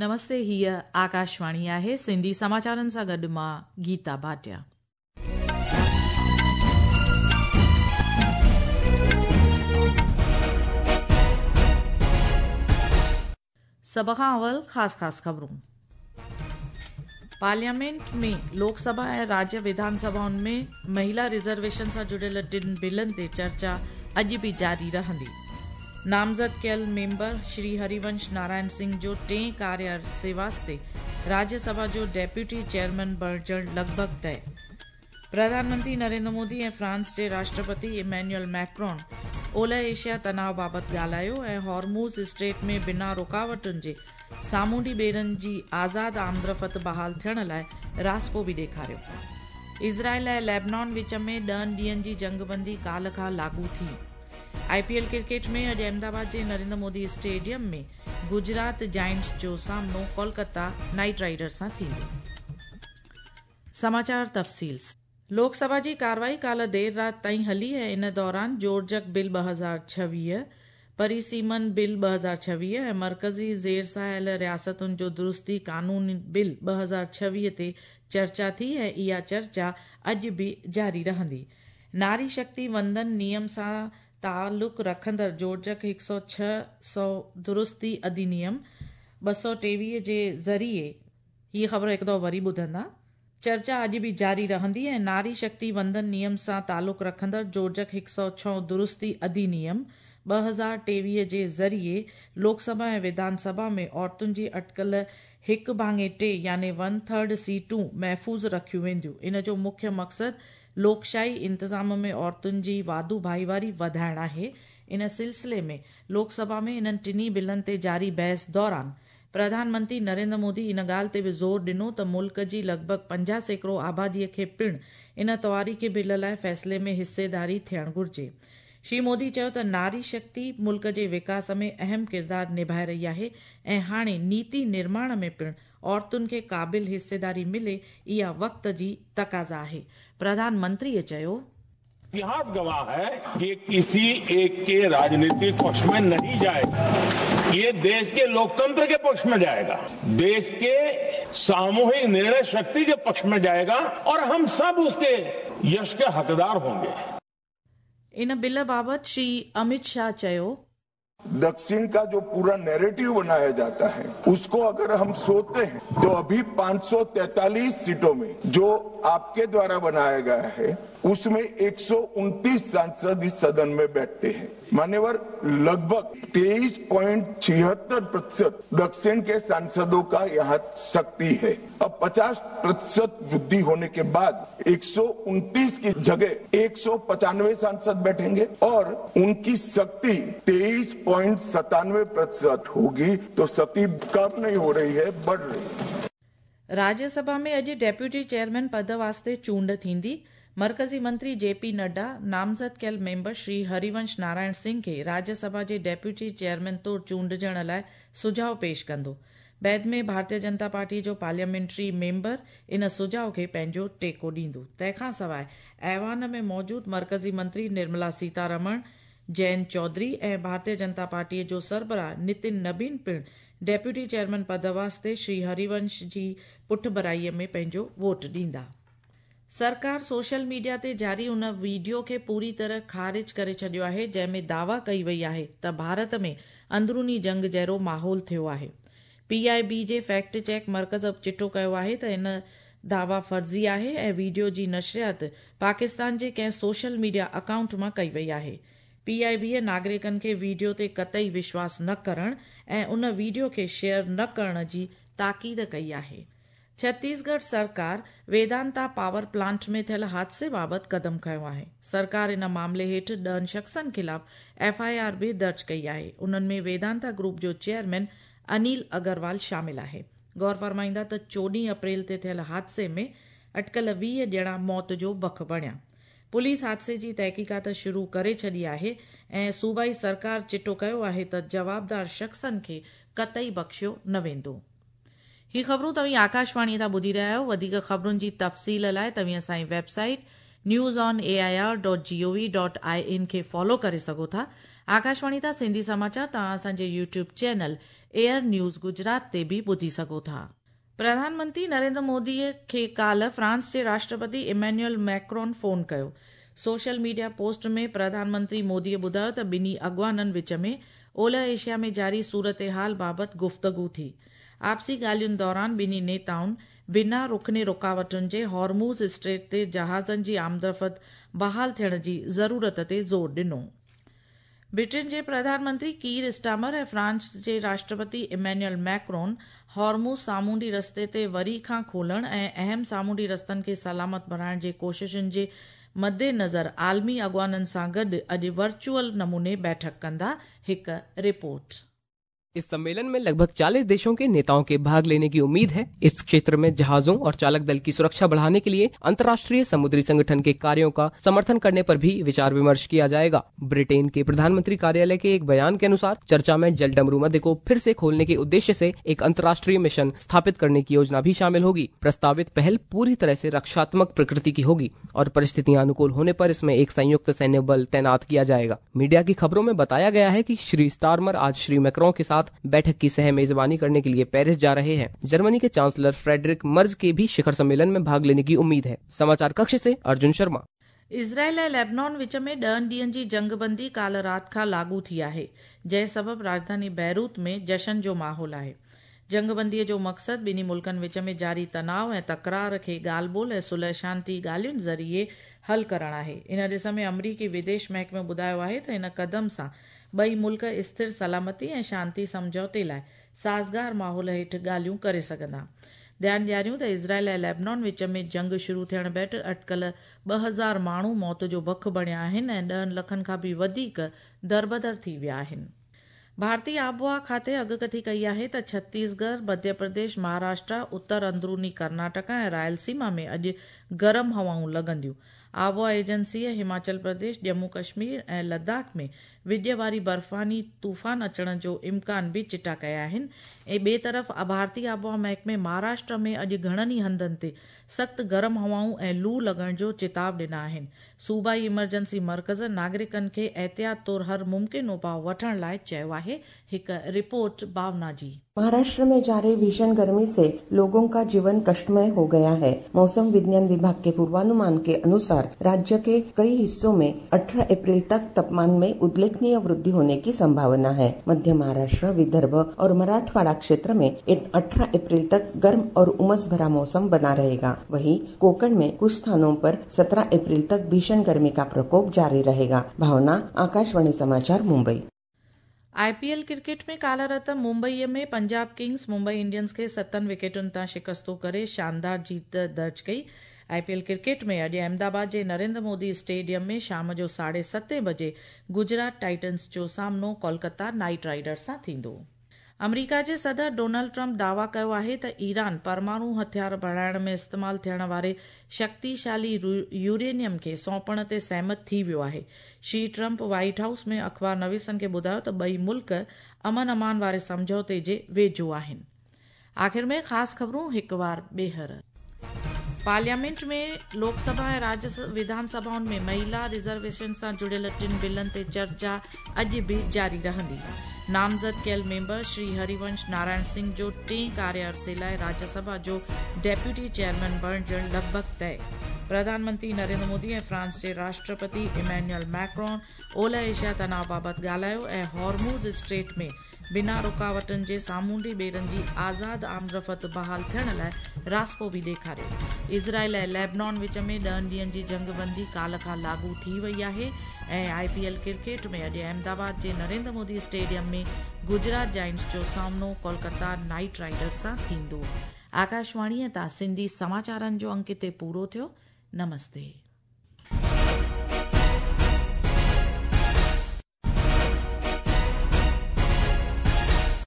نمستي هيء آڪاشواڻي آهي سنڌي سماچارن سان گڏ مان گيتا ڀاٽيا. سڀ کان اول خاص خاص خبرون. پارليامينٽ ۾ لوڪ سڀا ۽ راجيه وڌان سڀائن ۾ مهلا رزرويشن سان جڙيل ٽن بلن تي چرچا اڄ به جاري رهندي. نامزد ڪيل ميمبر شري هريونش نارائڻ سنگهه جو ٽئين ڪاريه عرصي واسطي راجيه سڀا جو ڊيپيوٽي چيئرمين بڻجڻ لڳ ڀڳ طئي. پرڌان منتري نريندر مودي ۽ فرانس جي راشٽرپتي ايمينيول ميڪرون اولهه ايشيا تناء بابت ڳالهايو ۽ هارموز اسٽريٽ ۾ بنا رڪاوٽن جي سامونڊي ٻيڙن جي آزاد آمدرفت بحال ٿيڻ لاء راضپو به ڏيکاريو. اسرائيل ۽ ليبنان وچ ۾ ڏهن ڏينهن جي جنگبندي ڪالهه کان لاڳو ٿي. آء پي ايل ڪرڪيٽ ۾ اڄ احمدآباد جي نريندر مودي اسٽيڊيم ۾ گجرات جائنٽس جو سامنو ڪولڪتا نائيٽ رائيڊرز سان ٿيندو. سماچار تفصيل سان. لوڪ سڀا جي ڪارروائي ڪالهه دير رات تائين هلي ۽ ان دوران جوڙجڪ بل 2026، پريسيمن بل 2026 ۽ مرڪزي زيرسايل رياستن جو درستي قانون بل 2026 تي چرچا ٿي ۽ اها چرچا اڄ به جاري رهندي. ناري شڪتي وندن نيم سان تعلق رکندڙ جوڙجڪ هڪ سؤ ڇهه سؤ درستي اڌينيم 223 جي ذريعي هيء خبر هڪ دفعو وري ٻڌندا. چرچا اڄ به جاري رهندي ۽ ناري شڪتي وندن نيم سان تعلق رکندڙ جوڙجڪ هڪ سؤ ڇهه درستي اڌينيم 2023 جي ذريعي لوڪ سڀا ۽ وڌان سڀا ۾ عورتن جي اٽڪل هڪ ڀاڱي ٽي يعني ون ٿرڊ سيٽون محفوظ رکيون وينديون. ان جو مکيه مقصد لوڪشاهي انتظام ۾ عورتن جي واڌو ڀائيواري وڌائڻ آهي. ان سلسلي ۾ لوڪ سڀا ۾ انهن ٽنهي بلن تي جاري بحث دوران پرڌان منتري نريندر مودي ان ڳالهه تي به زور ڏنو ته ملڪ جي لڳ ڀڳ 50% آبادي کي پڻ ان تواريخي بل لاء فيصلي ۾ حصيداري ٿيڻ گهرجي. شري مودي چيو ته ناري شڪتي ملڪ جي وڪاس ۾ اهم ڪردار نڀائي رهي آهي ۽ هاڻي نيتي نرماڻ ۾ پڻ عورتن کي قابل حصيداري ملي اها وقت جي تقاضا آهي. پرڌان منتريء چيو. اتهاس گواه هي ڪي ڪسي ايڪ ڪي راجنيتڪ پکش مين نهين جائيگا يي ديش ڪي لوڪتنتر ڪي پکش مين جائيگا ديش ڪي ساموهڪ نرڻي شڪتي ڪي پکش مين جائيگا اور هم سب اس ڪي يش ڪي حقدار هونگي. ان بل بابت شري امت شاهه چيو. दक्षिण का जो पूरा नैरेटिव बनाया जाता है उसको अगर हम सोचते हैं तो अभी 543 सीटों में जो आपके द्वारा बनाया गया है उसमें 129 सांसद इस सदन में बैठते हैं। मान्यवर, लगभग 23.76% दक्षिण के सांसदों का यहाँ शक्ति है। अब 50% वृद्धि होने के बाद 129 की जगह 195 सांसद बैठेंगे और उनकी शक्ति 23.97% होगी, तो शक्ति कम नहीं हो रही है, बढ़ रही है। راجيه سڀا ۾ اڄ ڊيپيوٽي چيئرمين پد واسطي چونڊ ٿيندي. مرڪزي منتري جي پي نڊا نامزد ڪيل ميمبر شري هريونش نارائڻ سنگهه کي راجيه سڀا جي ڊيپيوٽي چيئرمين طور چونڊجڻ لاء سجهاء پيش ڪندو. بعد ۾ ڀارتيه جنتا پارٽي جو پارليامينٽري ميمبر ان سجهاء کي پنهنجو ٽيڪو ڏيندو. تنهن کان سواء ايوان ۾ موجود مرڪزي منتري نرملا سيتارمڻ، جئنت چوڌري ۽ ڀارتيه جنتا پارٽي جو سربراهه نتن نبين پڻ ڊيپيوٽي چيئرمين پد واسطي شري هريونش جي پٺڀرائي ۾ پنهنجو ووٽ ڏيندا. سرڪار سوشل ميڊيا تي جاري ان وڊيو کي پوري طرح خارج ڪري ڇڏيو آهي جنهن ۾ دعويٰ ڪئي وئي آهي ته ڀارت ۾ اندروني جنگ جهڙو ماحول ٿيو آهي. پي آء بي جي فيڪٽ چيڪ مرڪز چٽو ڪيو آهي ته ان دعويٰ فرضي آهي ۽ وڊيو جي نشريات پاڪستان جي ڪنهن سوشل ميڊيا اڪائونٽ مان ڪئي وئي آهي. پي آء بي ناگرڪن کي وڊيو تي قطعي وشواس نه ڪرڻ ۽ ان وڊيو کي شيئر نه ڪرڻ جي تاڪيد ڪئي آهي. ڇتيسڳڙهه سرڪار ويدانتا پاور پلانٽ ۾ ٿيل حادثي بابت قدم کنيو آهي. سرڪار ان معاملي هيٺ ڏهن شخصن خلاف ايف I R به درج ڪئي آهي. انهن ۾ ويدانتا گروپ جو چيئرمين انيل اگروال شامل آهي. غور فرمائيندا ته 14 اپريل تي ٿيل حادثي ۾ اٽڪل 20 ڄڻا موت جو بک بڻيا. پوليس حادثي جي تحقيقات شروع ڪري ڇڏي آهي ۽ صوبائي سرڪار چٽو ڪيو آهي ته جوابدار شخصن کي قطعي بخشيو نه ويندو. هي خبرون توهين آڪاشواڻي تان ٻڌي رهيا آهيو. وڌيڪ خبرن جي تفصيل لاء توهين اسان جي website news on A I R dot G O V dot I N کي فالو ڪري سگهو ٿا آڪاشواڻي تان سنڌي سماچار توهان اسان جي YouTube channel AIR news Gujarat تي به ٻڌي سگهو ٿا. پرڌان منتري نريندر مودي کي ڪالهه فرانس جي راشٽرپتي ايمينيول ميڪرون فون ڪيو. Social media post ۾ Pradhan Mantri Modi ٻڌايو ته ٻنهي اڳواڻن وچ ۾ اولهه ايشيا ۾ جاري صورتحال بابت گفتگو ٿي. آپسي ڳالهين دوران ٻنهي نيتائن بنا رڪني رڪاوٽن جي هارموز اسٽريٽ تي جهازن جي آمدرفت بحال ٿيڻ جي ضرورت تي زور ڏنو. برٽن جي پرڌان منتري ڪير اسٽامر ۽ فرانس جي راشٽرپتي ايمينيول ميڪرون هارموز سامونڊي رستي تي وري کان کولڻ ۽ اهم سامونڊي رستن کي سلامت بڻائڻ جي ڪوششن جي مدنظر عالمي اڳواڻن سان گڏ اڄ ورچوئل نموني بيٺڪ ڪندا. هڪ رپورٽ. इस सम्मेलन में लगभग 40 देशों के नेताओं के भाग लेने की उम्मीद है। इस क्षेत्र में जहाजों और चालक दल की सुरक्षा बढ़ाने के लिए अंतर्राष्ट्रीय समुद्री संगठन के कार्यों का समर्थन करने पर भी विचार विमर्श किया जाएगा। ब्रिटेन के प्रधानमंत्री कार्यालय के एक बयान के अनुसार चर्चा में जल डमरू मध्य को फिर से खोलने के उद्देश्य से एक अंतर्राष्ट्रीय मिशन स्थापित करने की योजना भी शामिल होगी। प्रस्तावित पहल पूरी तरह से रक्षात्मक प्रकृति की होगी और परिस्थितियां अनुकूल होने पर इसमें एक संयुक्त सैन्य बल तैनात किया जाएगा। मीडिया की खबरों में बताया गया है कि श्री स्टारमर आज श्री मैक्रों के साथ बैठक की सह मेजबानी करने के लिए पेरिस जा रहे हैं। जर्मनी के चांसलर फ्रेडरिक मर्ज के भी शिखर सम्मेलन में भाग लेने की उम्मीद है। समाचार कक्ष से अर्जुन शर्मा। इज़राइल ऐं लेबनान विच में 10 ॾींहनि जी जंगबंदी काल्ह राति खां लागू थी आहे, जंहिं सबबि राजधानी बैरूत में जशन जो माहौल आहे। जंगबंदीअ जो मक़सदु ॿिन्ही मुल्कनि विच में जारी तनाव ऐं तकरार खे ॻाल्हि ॿोल ऐं सुलह शांति ॻाल्हियुनि ज़रिए हल करणु आहे। इन ॾिस में अमरीकी विदेश महकमे ॿुधायो आहे त हिन क़दम सां ॿई मुल्क स्थिर सलामती ऐं शांति सम्झौते लाइ साज़गार माहौल हेठि ॻाल्हियूं करे सघंदा। ध्यानु ॾियारियूं त इज़राइल ऐं लेबनान विच में जंग शुरू थियण बैठि अटकल 2000 माण्हू मौत जो बख बणिया आहिनि ऐं 10 लखनि खां बि वधीक दरबदर थी विया आहिनि। भारतीय आबोहवा खाते अॻकथी कई आहे त छत्तीसगढ़, मध्य प्रदेश, महाराष्ट्र, उत्तर अंदरूनी कर्नाटक ऐं रायलसीमा में अॼु गरम हवाऊं लॻंदियूं। आबोहवा एजेंसीअ हिमाचल प्रदेश, जम्मू कश्मीर ऐं लद्दाख में विॼ वारी बर्फ़ानी तूफ़ान अचण जो इम्कान बि चिटा कया आहिनि। ऐं ॿिए तरफ़ भारतीय आबोहवा महकमे महाराष्ट्र में अॼु घणनि ई हंधनि ते सख़्तु गरम हवाऊं ऐं लू लॻण जो चिताव ॾिना आहिनि। सूबाई इमरजेंसी मर्कज़ नागरिकनि खे एहतियात तौर हर मुमकिन उपाउ वठण लाइ चयो आहे। हिकु रिपोर्ट भावना जी। महाराष्ट्र में जारी भीषण गर्मी से लोगों का जीवन कष्टमय हो गया है। मौसम विज्ञान विभाग के पूर्वानुमान के अनुसार राज्य के कई हिस्सों में 18 अप्रैल तक तापमान में उल्लेखनीय वृद्धि होने की संभावना है। मध्य महाराष्ट्र, विदर्भ और मराठवाड़ा क्षेत्र में 18 अप्रैल तक गर्म और उमस भरा मौसम बना रहेगा। वहीं कोकण में कुछ स्थानों पर 17 अप्रैल तक भीषण गर्मी का प्रकोप जारी रहेगा। भावना, आकाशवाणी समाचार, मुंबई। आईपीएल क्रिकेट में काल्ह राति मुंबईअ में पंजाब किंग्स मुंबई इंडियंस खे 7 विकेटुनि तां शिकस्तो करे शानदार जीत दर्ज कई। आईपीएल क्रिकेट में अॼु अहमदाबाद जे नरेंद्र मोदी स्टेडियम में शाम जो 7:30 बजे गुजरात टाइटन्स जो सामनो कोलकाता नाइट राइडर्स सां थींदो। अमरीका जे सदर डोनाल्ड ट्रंप दावा कयो आहे त ईरान परमाणु हथियार बणाइण में इस्तेमाल थियण वारे शक्तिशाली यूरेनियम खे सौंपण ते सहमत थी वियो आहे। श्री ट्रंप व्हाइट हाउस में अख़बार नवीसनि खे ॿुधायो त ॿई मुल्क अमन अमान वारे सम्झौते जे वेझो आहिनि। आख़िर में ख़ासि ख़बरूं हिकु वार ॿीहर। पार्लियामेंट में लोकसभा ऐं राज्य विधानसभाउनि में महिला रिज़र्वेशन सां जुड़ियल 3 बिलनि ते चर्चा अॼु बि जारी रहंदी। नामज़द कयल मेंबर श्री हरिवंश नारायण सिंह जो टे कार्य अरसे लाइ राज्यसभा जो डेप्यूटी चेयरमैन बणिजणु लॻभॻि तय। प्रधानमंत्री नरेंद्र मोदी ऐं फ्रांस जे राष्ट्रपति इमैनुअल मैक्रोन ओलह एशिया तनाव बाबति ॻाल्हायो ऐं हॉर्मूज़ स्ट्रेट में बिना रुकावटनि जे सामुंडी ॿेड़नि जी आज़ाद आमदरफ़्त बहाल थियण लाइ रास्पो बि ॾेखारियो। इज़राइल ऐं लेबनान विच में 10 ॾींहनि जी जंगबंदी काल्ह खां लागू थी वई आहे। ऐं आईपीएल क्रिकेट में अॼु अहमदाबाद जे नरेंद्र मोदी स्टेडियम में गुजरात जायंट्स जो सामनो कोलकाता नाइट राइडर्स सां थींदो। आकाशवाणीअ तां सिंधी समाचारनि जो अंक हिते पूरो थियो। नमस्ते।